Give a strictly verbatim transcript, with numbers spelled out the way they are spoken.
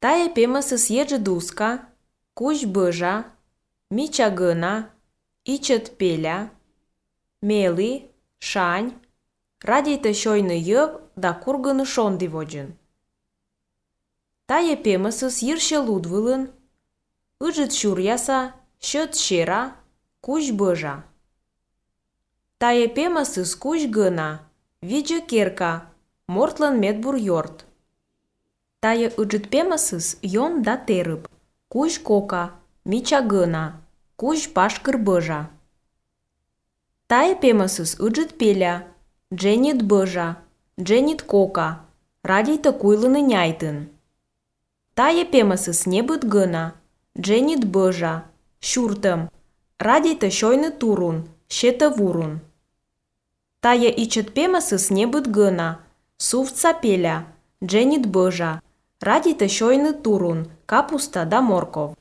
Taje pemësës jexhë duska, kuq bëzha, miqa gëna, iqët pela, meli, shanj, radejtë shojnë jëvë da kurgënë shondi vogjën. Taje pemësës yirshë ludvëllën, ëxhët shurjasa, shët shera, kuq bëzha. Taje pemësës kuq gëna, vigjë kerka, mortlën metbur yort. Taje ëxhët pemësës jon da terëp, kuq koka, miqa gëna, kuq pashkër bëzha. Taje pemësës ëxhët pela, xhenjët bëzha, xhenjët koka, radejtë kujllën njajtën. Taje pemësës njebët gëna, xhenjët bëzha, shurtëm, radejtë shojnë turun, shetë vurun. Taje iqët pemësës njebët gëna, suvca pela, xhenjët bëzha, radejtë shojnë turun, kapusta da morkov.